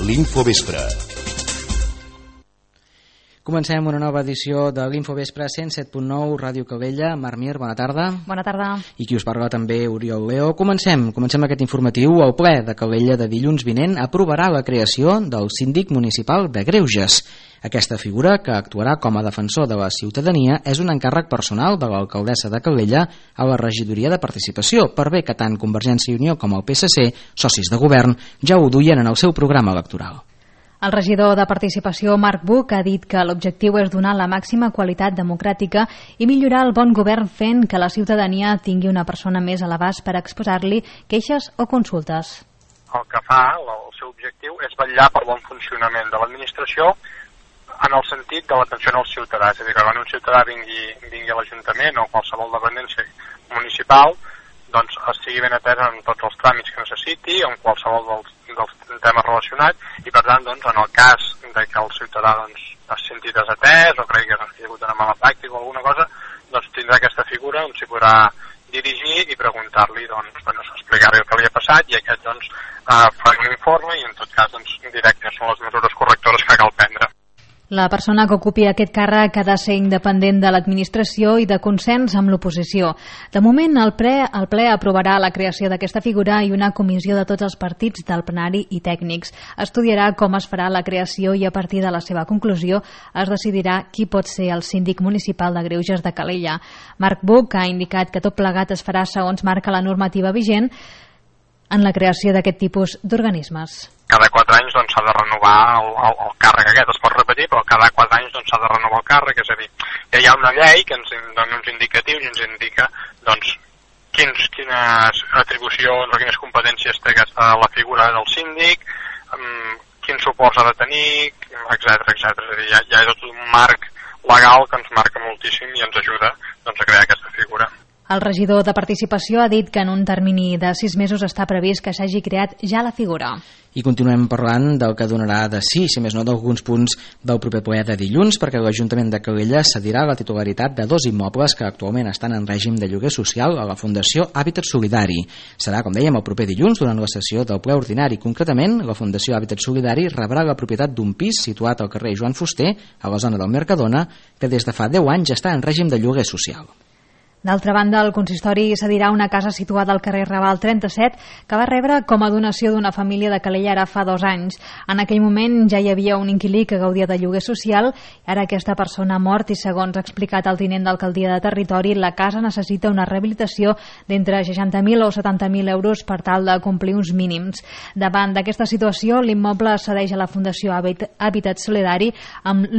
l'Infovespre. Comencem una nova edició de l'Infovespre 107.9 Ràdio Calella. Mar Mir, bona tarda. Bona tarda. I qui us parla també, Oriol Leo. Comencem aquest informatiu. El ple de Calella de dilluns vinent aprovarà la creació del síndic municipal de Greuges. Aquesta figura, que actuarà com a defensor de la ciutadania, és un encàrrec personal de l'alcaldessa de Calella a la regidoria de participació, per bé que tant Convergència i Unió com el PSC, socis de govern, ja ho duien en el seu programa electoral. El regidor de Participació, Marc Buch, ha dit que l'objectiu és donar la màxima qualitat democràtica i millorar el bon govern fent que la ciutadania tingui una persona més a l'abast per exposar-li queixes o consultes. El que fa, el seu objectiu, és vetllar pel bon funcionament de l'administració en el sentit de l'atenció als ciutadans. És a dir, que quan un ciutadà vingui a l'Ajuntament o qualsevol dependència municipal, doncs estigui ben atès en tots els tràmits que necessiti, en qualsevol dels temes relacionats, i per tant, doncs, en el cas de que el ciutadà es senti desatès o cregui que ha hagut una mala pràctica o alguna cosa, doncs tindrà aquesta figura on s'hi podrà dirigir i preguntar-li, explicar-li el que li ha passat, i aquest farà un informe i en tot cas dirà quines són les mesures correctores que cal prendre. La persona que ocupi aquest càrrec ha de ser independent de l'administració i de consens amb l'oposició. De moment, el ple aprovarà la creació d'aquesta figura i una comissió de tots els partits del plenari i tècnics. Estudiarà com es farà la creació i a partir de la seva conclusió es decidirà qui pot ser el síndic municipal de Greuges de Calella. Marc Buch ha indicat que tot plegat es farà segons marca la normativa vigent en la creació d'aquest tipus d'organismes. Cada 4 anys s'ha de renovar el càrrec aquest, es pot repetir, però cada 4 anys s'ha de renovar el càrrec, és a dir, ja hi ha una llei que ens dona uns indicatius i ens indica quines atribucions o quines competències té la figura del síndic, quins suports ha de tenir, etc. És a dir, ja hi ha tot un marc legal que ens marca moltíssim i ens ajuda a crear aquesta figura. El regidor de Participació ha dit que en un termini de 6 mesos està previst que s'hagi creat ja la figura. I continuem parlant del que donarà de sí, si més no, d'alguns punts del proper ple de dilluns, perquè l'Ajuntament de Calella cedirà la titularitat de 2 immobles que actualment estan en règim de lloguer social a la Fundació Hàbitat Solidari. Serà, com dèiem, el proper dilluns durant la sessió del ple ordinari. Concretament, la Fundació Hàbitat Solidari rebrà la propietat d'un pis situat al carrer Joan Fuster, a la zona del Mercadona, que des de fa 10 anys està en règim de lloguer social. D'altra banda, el consistori cedirà una casa situada al carrer Raval 37 que va rebre com a donació d'una família de Calella ara fa 2 anys. En aquell moment ja hi havia un inquilí que gaudia de lloguer social, ara aquesta persona ha mort i, segons ha explicat el tinent d'alcaldia de territori, la casa necessita una rehabilitació d'entre 60.000 o 70.000 euros per tal de complir uns mínims. Davant d'aquesta situació, l'immoble cedeix a la Fundació Hàbitat Solidari amb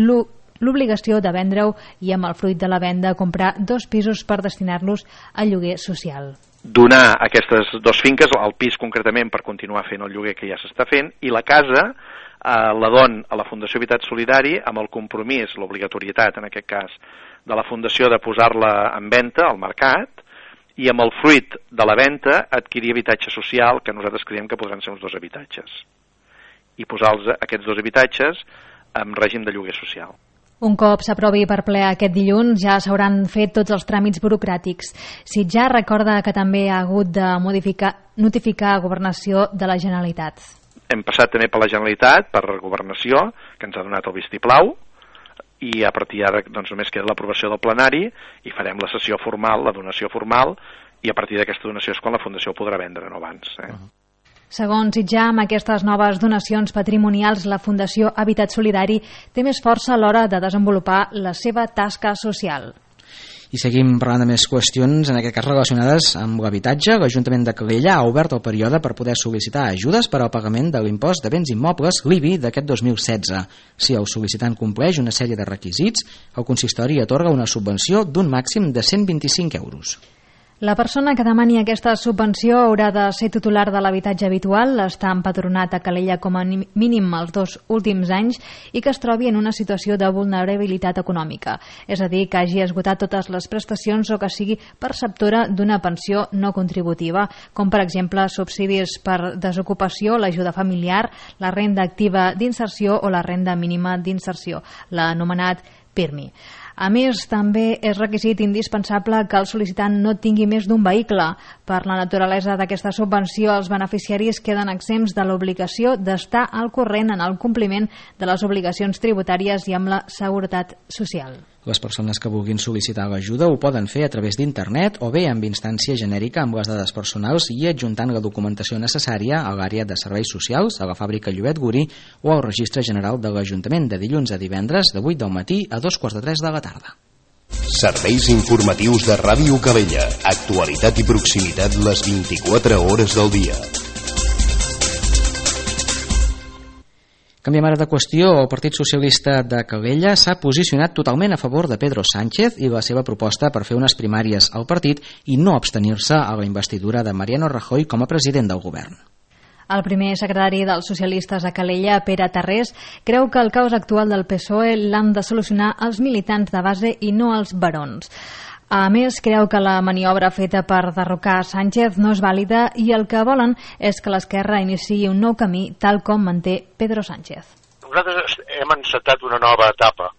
l'obligació de vendre-ho i amb el fruit de la venda comprar 2 pisos per destinar-los al lloguer social. Donar aquestes 2 finques, el pis concretament per continuar fent el lloguer que ja s'està fent, i la casa la don a la Fundació Habitat Solidari amb el compromís, l'obligatorietat en aquest cas, de la Fundació de posar-la en venda al mercat i amb el fruit de la venda adquirir habitatge social, que nosaltres creiem que podran ser uns 2 habitatges, i posar aquests 2 habitatges en règim de lloguer social. Un cop s'aprovi per ple aquest dilluns, ja s'hauran fet tots els tràmits burocràtics. Sitjar recorda que també ha hagut de notificar a Governació de la Generalitat. Hem passat també per la Generalitat, per Governació, que ens ha donat el vistiplau, i a partir d'ara només queda l'aprovació del plenari i farem la sessió formal, la donació formal, i a partir d'aquesta donació és quan la Fundació podrà vendre, no abans. Segons Sitjar, amb aquestes noves donacions patrimonials, la Fundació Hàbitat Solidari té més força a l'hora de desenvolupar la seva tasca social. I seguim parlant de més qüestions, en aquest cas relacionades amb l'habitatge. L'Ajuntament de Calella ha obert el període per poder sol·licitar ajudes per al pagament de l'impost de béns immobles, l'IBI, d'aquest 2016. Si el sol·licitant compleix una sèrie de requisits, el consistori atorga una subvenció d'un màxim de 125 euros. La persona que demani aquesta subvenció haurà de ser titular de l'habitatge habitual, estar empadronat a Calella com a mínim els 2 últims anys i que es trobi en una situació de vulnerabilitat econòmica, és a dir, que hagi esgotat totes les prestacions o que sigui perceptora d'una pensió no contributiva, com per exemple subsidis per desocupació, l'ajuda familiar, la renda activa d'inserció o la renda mínima d'inserció, l'anomenat PIRMI. A més, també és requisit indispensable que el sol·licitant no tingui més d'un vehicle. Per la naturalesa d'aquesta subvenció, els beneficiaris queden exempts de l'obligació d'estar al corrent en el compliment de les obligacions tributàries i amb la seguretat social. Les persones que vulguin sol·licitar l'ajuda ho poden fer a través d'internet o bé amb instància genèrica amb les dades personals i adjuntant la documentació necessària a l'àrea de serveis socials, a la fàbrica Llobet Guri o al registre general de l'Ajuntament de dilluns a divendres de 8 del matí a 2:45 de la tarda. Serveis informatius de Ràdio Calella. Actualitat i proximitat les 24 hores del dia. Canviem ara de qüestió. El Partit Socialista de Calella s'ha posicionat totalment a favor de Pedro Sánchez i la seva proposta per fer unes primàries al partit i no abstenir-se a la investidura de Mariano Rajoy com a president del govern. El primer secretari dels socialistes a Calella, Pere Tarrés, creu que el caos actual del PSOE l'han de solucionar els militants de base i no els barons. A més, creu que la maniobra feta per derrocar Sánchez no és vàlida i el que volen és que l'esquerra iniciï un nou camí, tal com manté Pedro Sánchez. Nosaltres hem encetat una nova etapa,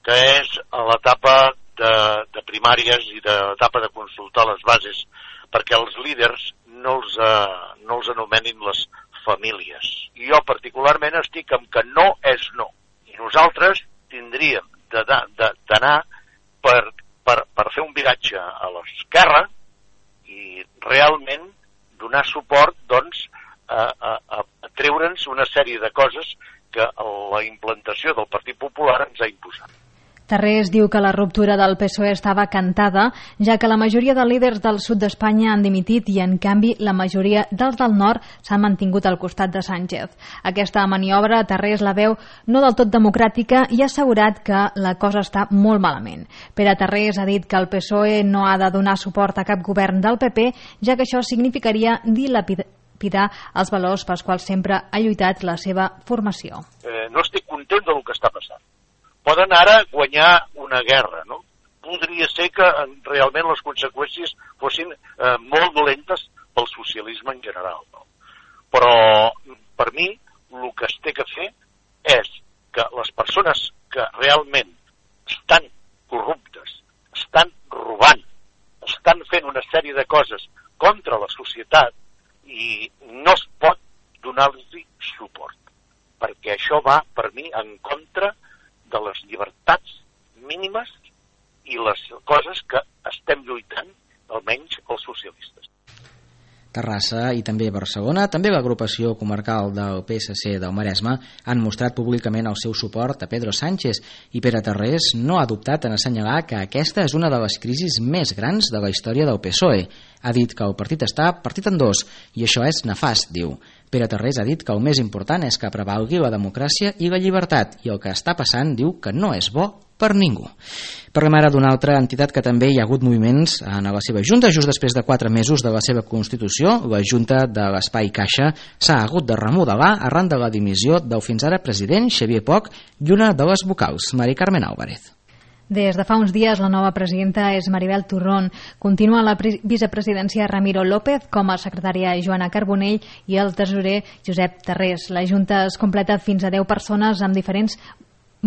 que és l'etapa de primàries i l'etapa de consultar les bases, perquè els líders no els anomenin les famílies. I jo particularment estic amb que no és no. I nosaltres tindríem d'anar per fer un viratge a l'esquerra i realment donar suport doncs, a treure'ns una sèrie de coses que la implantació del Partit Popular ens ha imposat. Tarrés diu que la ruptura del PSOE estava cantada, ja que la majoria de líders del sud d'Espanya han dimitit i, en canvi, la majoria dels del nord s'han mantingut al costat de Sánchez. Aquesta maniobra, Tarrés la veu no del tot democràtica i ha assegurat que la cosa està molt malament. Pere Tarrés ha dit que el PSOE no ha de donar suport a cap govern del PP, ja que això significaria dilapidar els valors pels quals sempre ha lluitat la seva formació. No estic content del que està passant. Poden ara guanyar una guerra, no? Podria ser que realment les conseqüències fossin molt dolentes pel socialisme en general, no? Però, per mi, el que es té que fer és que les persones que realment estan corruptes, estan robant, estan fent una sèrie de coses contra la societat i no es pot donar-los suport, perquè això va, per mi, en contra de les llibertats mínimes i les coses que estem lluitant, almenys els socialistes. Terrassa i també Barcelona, també l'agrupació comarcal del PSC del Maresme han mostrat públicament el seu suport a Pedro Sánchez i Pere Tarrés no ha dubtat en assenyalar que aquesta és una de les crisis més grans de la història del PSOE. Ha dit que el partit està partit en dos i això és nefast, diu. Pere Tarrés ha dit que el més important és que prevalgui la democràcia i la llibertat i el que està passant diu que no és bo per ningú. Parlem ara d'una altra entitat que també hi ha hagut moviments en la seva junta. Just després de 4 mesos de la seva constitució, la junta de l'Espai Caixa s'ha hagut de remodelar arran de la dimissió del fins ara president Xavier Poch i una de les vocals, Mari Carmen Álvarez. Des de fa uns dies, la nova presidenta és Maribel Turrón. Continua la vicepresidència Ramiro López, com a secretària Joana Carbonell i el tesorer Josep Tarrés. La junta es completa fins a 10 persones amb diferents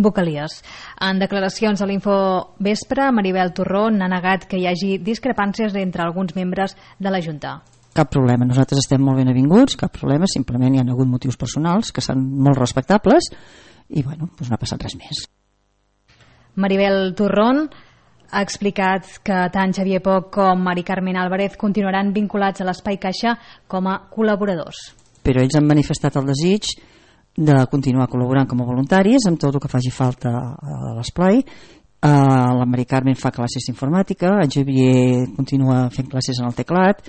vocalies. En declaracions a l'Info Vespre, Maribel Turrón ha negat que hi hagi discrepàncies entre alguns membres de la junta. Cap problema, nosaltres estem molt ben avinguts, cap problema, simplement hi ha hagut motius personals que són molt respectables i bueno, doncs no ha passat res més. Maribel Turrón ha explicat que tant Xavier Poch com Mari Carmen Álvarez continuaran vinculats a l'Espai Caixa com a col·laboradors. Però ells han manifestat el desig de continuar col·laborant com a voluntaris amb tot el que faci falta a l'esplai. La Mari Carmen fa classes d'informàtica, el Xavier continua fent classes en el teclat.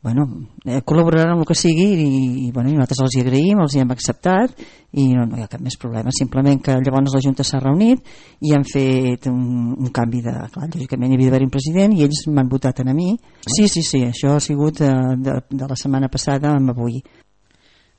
Bueno, col·laboraran amb el que sigui i nosaltres els hi agraïm, els hi hem acceptat i no hi ha cap més problema, simplement que llavors la Junta s'ha reunit i han fet un canvi de... Clar, lògicament hi havia d'haver un president i ells m'han votat a mi. Sí, això ha sigut de la setmana passada amb avui.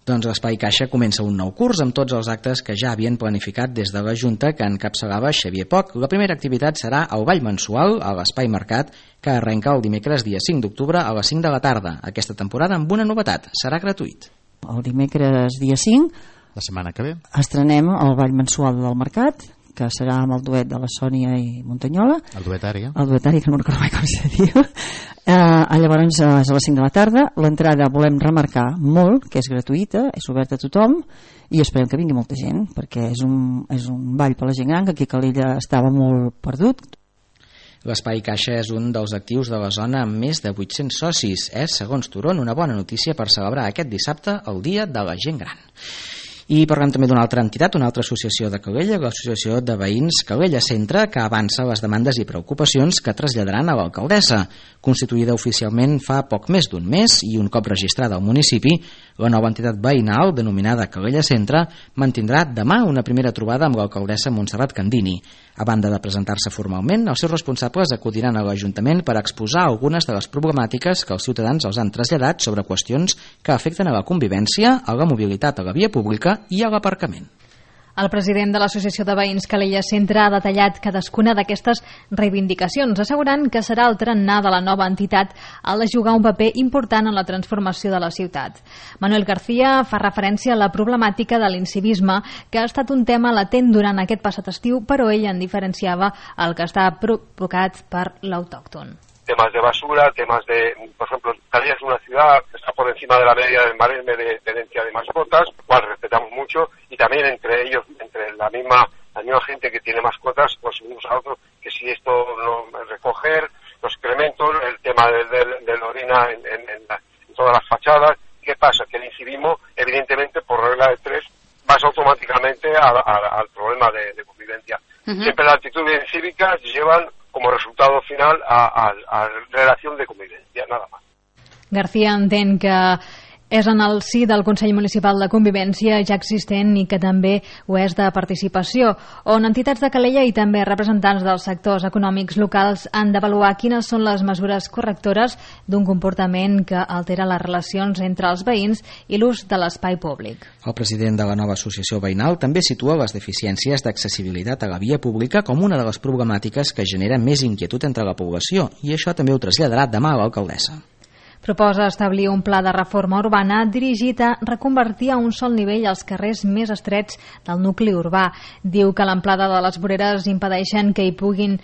Doncs l'Espai Caixa comença un nou curs amb tots els actes que ja havien planificat des de la Junta que encapçalava Xavier Poch. La primera activitat serà el ball mensual a l'Espai Mercat, que arrenca el dimecres dia 5 d'octubre a les 5 de la tarda. Aquesta temporada amb una novetat, serà gratuït. El dimecres dia 5, la setmana que ve, estrenem el ball mensual del Mercat, que serà amb el duet de la Sònia i Montanyola. El duetari, El duetari, que no recordo mai com se diu. Llavors és a les 5 de la tarda. L'entrada volem remarcar molt que és gratuïta, és oberta a tothom, i esperem que vingui molta gent, perquè és un ball per la gent gran, que aquí a Calella estava molt perdut. L'Espai Caixa és un dels actius de la zona amb més de 800 socis. És, segons Turon, una bona notícia per celebrar aquest dissabte el Dia de la Gent Gran. I parlem també d'una altra entitat, una altra associació de Calella, l'Associació de Veïns Calella Centre, que avança les demandes i preocupacions que traslladaran a l'alcaldessa. Constituïda oficialment fa poc més d'un mes i un cop registrada al municipi, la nova entitat veïnal, denominada Calella Centre, mantindrà demà una primera trobada amb l'alcaldessa Montserrat Candini. A banda de presentar-se formalment, els seus responsables acudiran a l'Ajuntament per exposar algunes de les problemàtiques que els ciutadans els han traslladat sobre qüestions que afecten a la convivència, a la mobilitat a la via pública i a l'aparcament. El president de l'Associació de Veïns Calella Centre ha detallat cadascuna d'aquestes reivindicacions, assegurant que serà el tarannà de la nova entitat el de jugar un paper important en la transformació de la ciutat. Manuel García fa referència a la problemàtica de l'incivisme, que ha estat un tema latent durant aquest passat estiu, però ell en diferenciava el que està provocat per l'autòcton. Temas de basura, temas de, por ejemplo, Calella es una ciudad que está por encima de la media del Maresme de tenencia de mascotas, cual respetamos mucho, y también entre ellos, entre la misma gente que tiene mascotas, pues unos a otros, que si esto no recoger, los excrementos, el tema de la orina en todas las fachadas. ¿Qué pasa? Que el incivismo, evidentemente, por regla de tres, vas automáticamente al problema de convivencia. Siempre las actitudes cívicas llevan como resultado final a relación de convivencia, nada más. García entén que és en el si del Consell Municipal de Convivència ja existent i que també ho és de participació, on entitats de Calella i també representants dels sectors econòmics locals han d'avaluar quines són les mesures correctores d'un comportament que altera les relacions entre els veïns i l'ús de l'espai públic. El president de la nova associació veïnal també situa les deficiències d'accessibilitat a la via pública com una de les problemàtiques que genera més inquietud entre la població, i això també ho traslladarà demà a l'alcaldessa. Proposa establir un pla de reforma urbana dirigit a reconvertir a un sol nivell els carrers més estrets del nucli urbà. Diu que l'amplada de les voreres impedeixen que hi puguin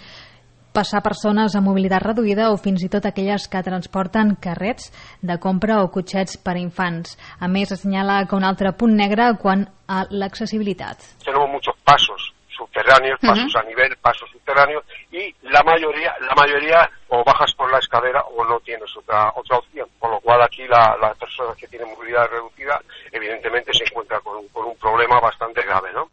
passar persones amb mobilitat reduïda o fins i tot aquelles que transporten carrets de compra o cotxets per a infants. A més, assenyala que un altre punt negre quant a l'accessibilitat. Tenemos muchos pasos subterráneos, pasos a nivel, pasos subterráneos, y la mayoría o bajas por la escalera o no tienes otra opción, con lo cual aquí las personas que tienen movilidad reducida evidentemente se encuentran con un problema bastante grave, ¿no?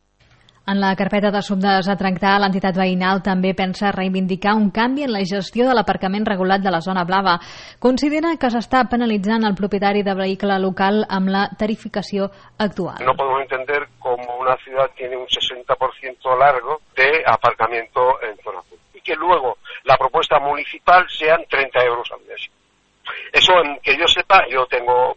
En la carpeta d'assumptes a tractar, l'entitat veïnal també pensa reivindicar un canvi en la gestió de l'aparcament regulat de la zona blava. Considera que s'està penalitzant el propietari de vehicle local amb la tarificació actual. No podemos entender cómo una ciudad tiene un 60% largo de aparcamiento en zona azul y que luego la propuesta municipal sean 30 euros al mes. Eso, que yo sepa, yo tengo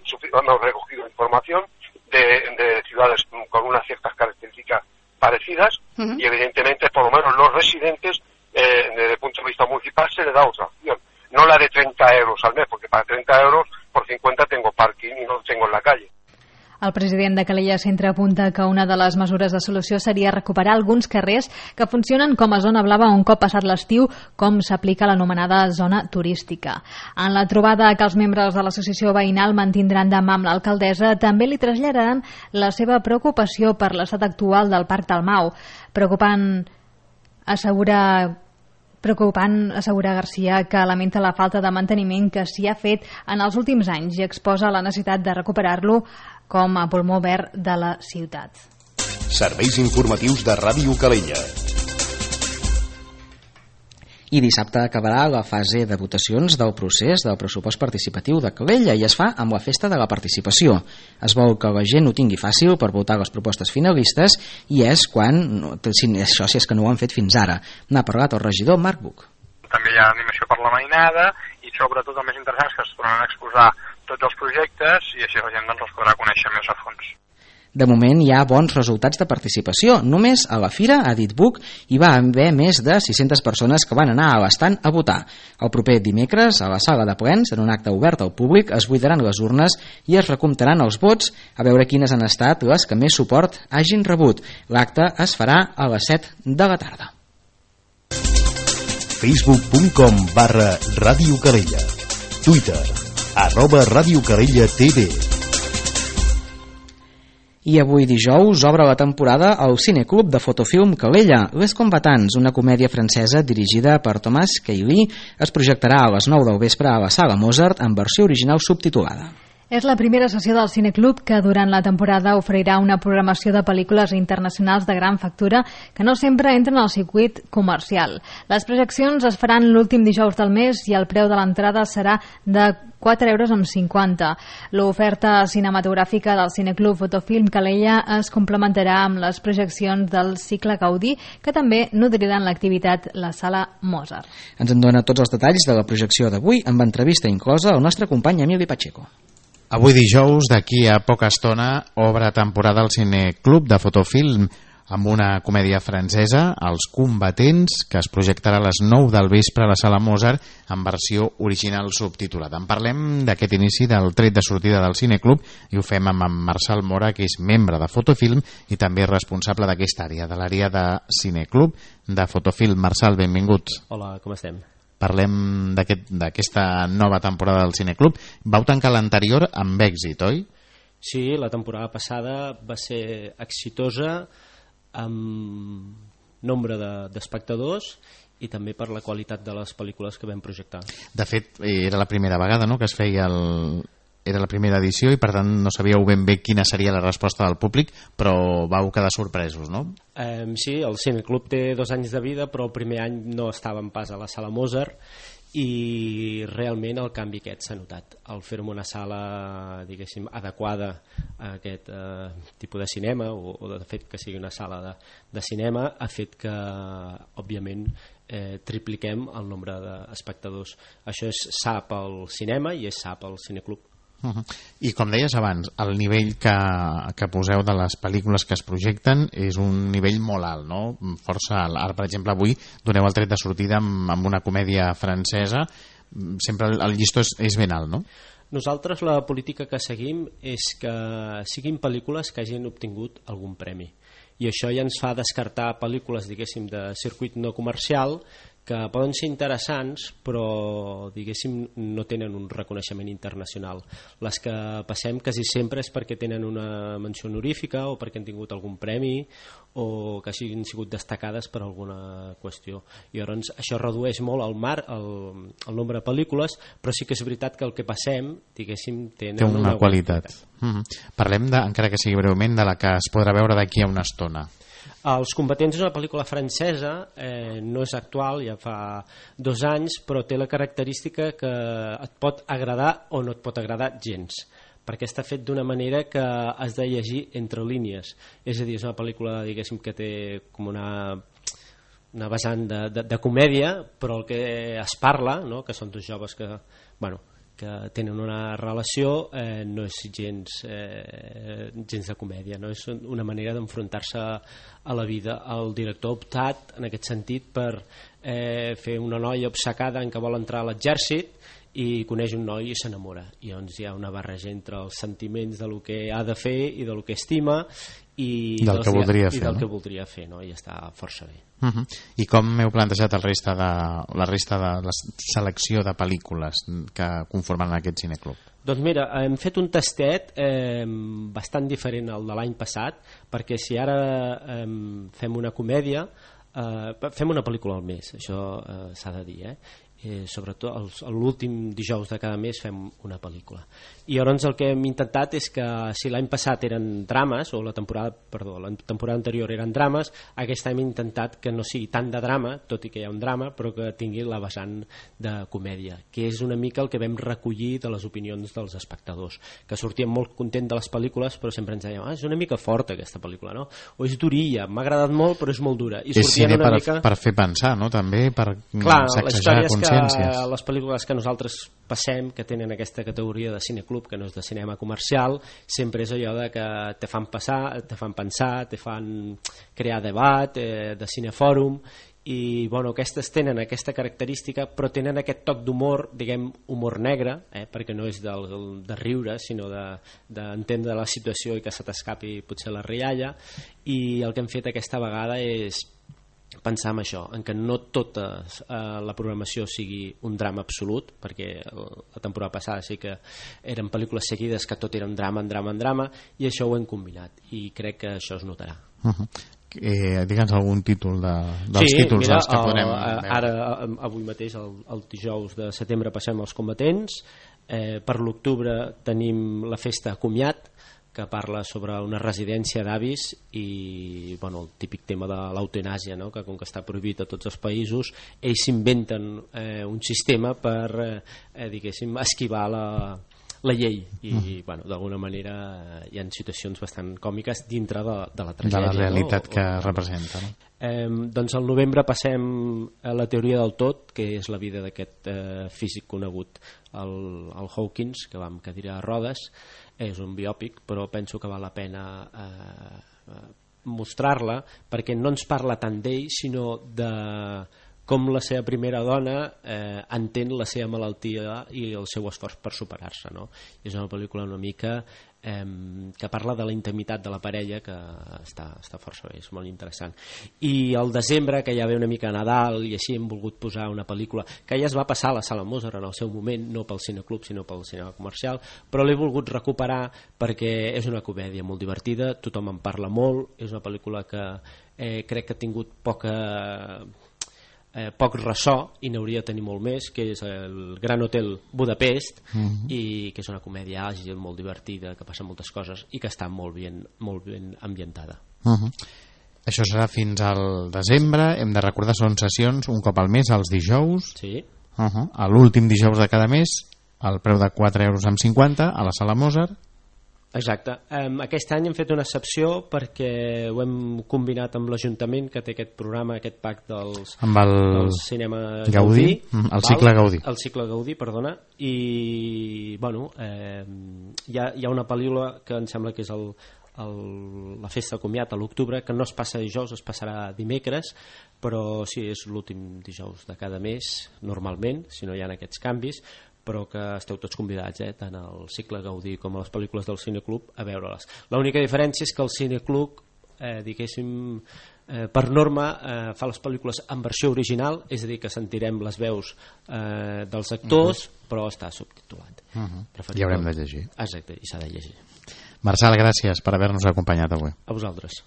recogido información de ciudades con unas ciertas características parecidas y evidentemente por lo menos los residentes desde el punto de vista municipal se les da otra opción, no la de 30 euros al mes, porque para 30 euros por 50 tengo parking y no tengo en la calle. El president de Calella Centre apunta que una de les mesures de solució seria recuperar alguns carrers que funcionen com a zona blava un cop passat l'estiu, com s'aplica l'anomenada zona turística. En la trobada que els membres de l'associació veïnal mantindran demà amb l'alcaldessa, també li traslladaran la seva preocupació per l'estat actual del Parc Dalmau. Preocupant, assegura García, que lamenta la falta de manteniment que s'hi ha fet en els últims anys i exposa la necessitat de recuperar-lo com a pulmó verd de la ciutat. Serveis informatius de Ràdio Calella. I dissabte acabarà la fase de votacions del procés del pressupost participatiu de Calella i es fa amb la festa de la participació. Es vol que la gent ho tingui fàcil per votar les propostes finalistes i és quan, si és que no ho han fet fins ara. N'ha parlat el regidor Marc Buch. També hi ha animació per la mainada i sobretot el més interessant és que es tornaran a exposar tots els projectes i així la gent doncs, els podrà conèixer més a fons. De moment hi ha bons resultats de participació. Només a la fira, a Ditbook, hi va haver més de 600 persones que van anar a l'estand a votar. El proper dimecres, a la sala de plens, en un acte obert al públic, es buidaran les urnes i es recomptaran els vots a veure quines han estat les que més suport hagin rebut. L'acte es farà a les 7 de la tarda. Facebook.com/Ràdio Calella. Twitter @Ràdio Calella TV. I avui dijous obre la temporada al Cineclub de Fotofilm Calella. Les Combatants, una comèdia francesa dirigida per Thomas Cailly, es projectarà a les 9 del vespre a la Sala Mozart en versió original subtitulada. És la primera sessió del Cineclub que durant la temporada oferirà una programació de pel·lícules internacionals de gran factura que no sempre entren al circuit comercial. Les projeccions es faran l'últim dijous del mes i el preu de l'entrada serà de 4,50 €. L'oferta cinematogràfica del Cineclub Fotofilm Calella es complementarà amb les projeccions del cicle Gaudí, que també nodriran l'activitat la Sala Mozart. Ens en dona tots els detalls de la projecció d'avui amb entrevista inclosa al nostre company Emili Pacheco. Avui dijous, d'aquí a poca estona, obre temporada al Cineclub de Fotofilm amb una comèdia francesa, Els Combatents, que es projectarà a les 9 del vespre a la Sala Mozart en versió original subtitulada. En parlem d'aquest inici del tret de sortida del Cineclub i ho fem amb en Marçal Mora, que és membre de Fotofilm i també responsable d'aquesta àrea, de l'àrea de Cineclub de Fotofilm. Marçal, benvingut. Hola, com estem? Parlem d'aquesta nova temporada del Cineclub. Vau tancar l'anterior amb èxit, oi? Sí, la temporada passada va ser exitosa amb nombre d'espectadors i també per la qualitat de les pel·lícules que vam projectar. De fet, era la primera vegada, no?, que es feia era la primera edició i per tant no sabíeu ben bé quina seria la resposta del públic, però vau quedar sorpresos, no? Sí, el Cineclub té 2 anys de vida, però el primer any no estàvem pas a la Sala Mozart i realment el canvi aquest s'ha notat. El fer-ho en una sala, diguéssim, adequada a aquest tipus de cinema, o de fet que sigui una sala de cinema, ha fet que, òbviament, tripliquem el nombre d'espectadors. Això és sa pel cinema i és sa pel Cineclub. I com deies abans, el nivell que poseu de les pel·lícules que es projecten és un nivell molt alt, no? Força alt. Ara, per exemple, avui doneu el tret de sortida amb una comèdia francesa. Sempre el llistó és ben alt, no? Nosaltres la política que seguim és que siguin pel·lícules que hagin obtingut algun premi. I això ja ens fa descartar pel·lícules, diguéssim, de circuit no comercial que poden ser interessants però, diguéssim, no tenen un reconeixement internacional. Les que passem quasi sempre és perquè tenen una menció honorífica o perquè han tingut algun premi o que hagin sigut destacades per alguna qüestió. I llavors això redueix molt el nombre de pel·lícules, però sí que és veritat que el que passem, diguéssim, té una qualitat. Parlem, encara que sigui breument, de la que es podrà veure d'aquí a una estona. Els Combatents és una pel·lícula francesa, no és actual, ja fa 2 anys, però té la característica que et pot agradar o no et pot agradar gens, perquè està fet d'una manera que has de llegir entre línies. És a dir, és una pel·lícula, diguéssim, que té com una vessant de comèdia, però el que es parla, no?, que són 2 joves que tenen una relació, no és gens de comèdia, no? És una manera d'enfrontar-se a la vida. El director ha optat en aquest sentit per fer una noia obcecada en què vol entrar a l'exèrcit i coneix un noi i s'enamora, i llavors hi ha una barreja entre els sentiments del que ha de fer i del que estima i del que voldria fer, no? I està força bé. I com heu plantejat la resta de la selecció de pel·lícules que conformen aquest cineclub? Doncs mira, hem fet un tastet bastant diferent al de l'any passat, perquè si ara fem una comèdia, fem una pel·lícula al mes, això s'ha de dir, sobretot l'últim dijous de cada mes fem una pel·lícula. I llavors el que hem intentat és que si l'any passat eren drames, o la temporada anterior eren drames, aquest any hem intentat que no sigui tant de drama, tot i que hi ha un drama, però que tingui la vessant de comèdia, que és una mica el que vam recollir de les opinions dels espectadors, que sortien molt contents de les pel·lícules, però sempre ens deien, és una mica forta aquesta pel·lícula, no? O és durilla, m'ha agradat molt però és molt dura. I és cine per fer pensar, no? També per sacsejar, aconseguir llicències. Les pel·lícules que nosaltres passem, que tenen aquesta categoria de cineclub, que no és de cinema comercial, sempre és allò de que te fan pensar, te fan crear debat, de cinefòrum, i bueno, aquestes tenen aquesta característica, però tenen aquest toc d'humor, diguem, humor negre, perquè no és de riure, sinó d'entendre la situació i que se t'escapi potser la rialla, i el que hem fet aquesta vegada és pensar en això, en que no tota la programació sigui un drama absolut, perquè la temporada passada sí que eren pel·lícules seguides que tot era un drama, i això ho hem combinat, i crec que això es notarà. Digue'ns algun títol dels títols mira, que podrem veure. Ara, avui mateix, el dijous de setembre, passem als combatents. Per l'octubre tenim la festa Comiat, que parla sobre una residència d'avis i bueno, el típic tema de l'eutanàsia, no? Que com que està prohibit a tots els països, ells s'inventen un sistema per diguéssim, esquivar la llei i bueno, d'alguna manera hi ha situacions bastant còmiques dintre de la tragèdia, de la realitat, no? Que representa, no? Doncs al novembre passem a La teoria del tot, que és la vida d'aquest físic conegut, el Hawkins, que va amb cadira de rodes. És un biòpic, però penso que val la pena mostrar-la, perquè no ens parla tant d'ell, sinó de com la seva primera dona entén la seva malaltia i el seu esforç per superar-se, no? És una pel·lícula una mica que parla de la intimitat de la parella, que està força bé, és molt interessant. I al desembre, que ja ve una mica a Nadal, i així hem volgut posar una pel·lícula que ja es va passar a la Sala Mozart en el seu moment, no pel cineclub sinó pel cinema comercial, però l'he volgut recuperar perquè és una comèdia molt divertida, tothom en parla molt, és una pel·lícula que crec que ha tingut poc ressò i n'hauria de tenir molt més, que és el Gran Hotel Budapest, i que és una comèdia àgil, molt divertida, que passa moltes coses i que està molt ben ambientada. Això serà fins al desembre. Hem de recordar, són sessions un cop al mes, els dijous. Sí. A l'últim dijous de cada mes, al preu de 4,50 € a la Sala Mozart. Exacte. Aquest any hem fet una excepció perquè ho hem combinat amb l'Ajuntament, que té aquest programa, aquest pacte del cinema Gaudí, el cicle Gaudí. El cicle Gaudí, perdona. I bueno, hi ha una pel·lícula que em sembla que és la festa de comiat a l'octubre, que no es passa dijous, es passarà dimecres, però sí, és l'últim dijous de cada mes normalment, si no hi ha aquests canvis, però que esteu tots convidats, tant al cicle Gaudí com a les pel·lícules del Cineclub, a veure-les. L'única diferència és que el Cineclub, diguéssim, per norma, fa les pel·lícules en versió original, és a dir, que sentirem les veus dels actors, però està subtitulat. I haurem de llegir. Exacte, i s'ha de llegir. Marçal, gràcies per haver-nos acompanyat avui. A vosaltres.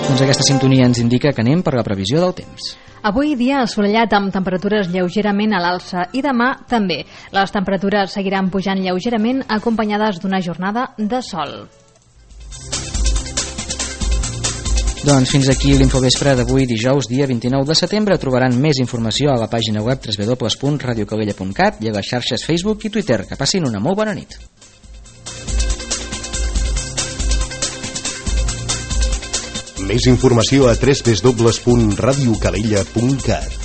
Doncs aquesta sintonia ens indica que anem per la previsió del temps. Avui dia assolellat amb temperatures lleugerament a l'alça i demà també. Les temperatures seguiran pujant lleugerament acompanyades d'una jornada de sol. Doncs fins aquí l'infovespre d'avui, dijous, dia 29 de setembre. Trobaran més informació a la pàgina web www.radiocalella.cat i a les xarxes Facebook i Twitter. Que passin una molt bona nit. Més informació a www.radiocalella.cat.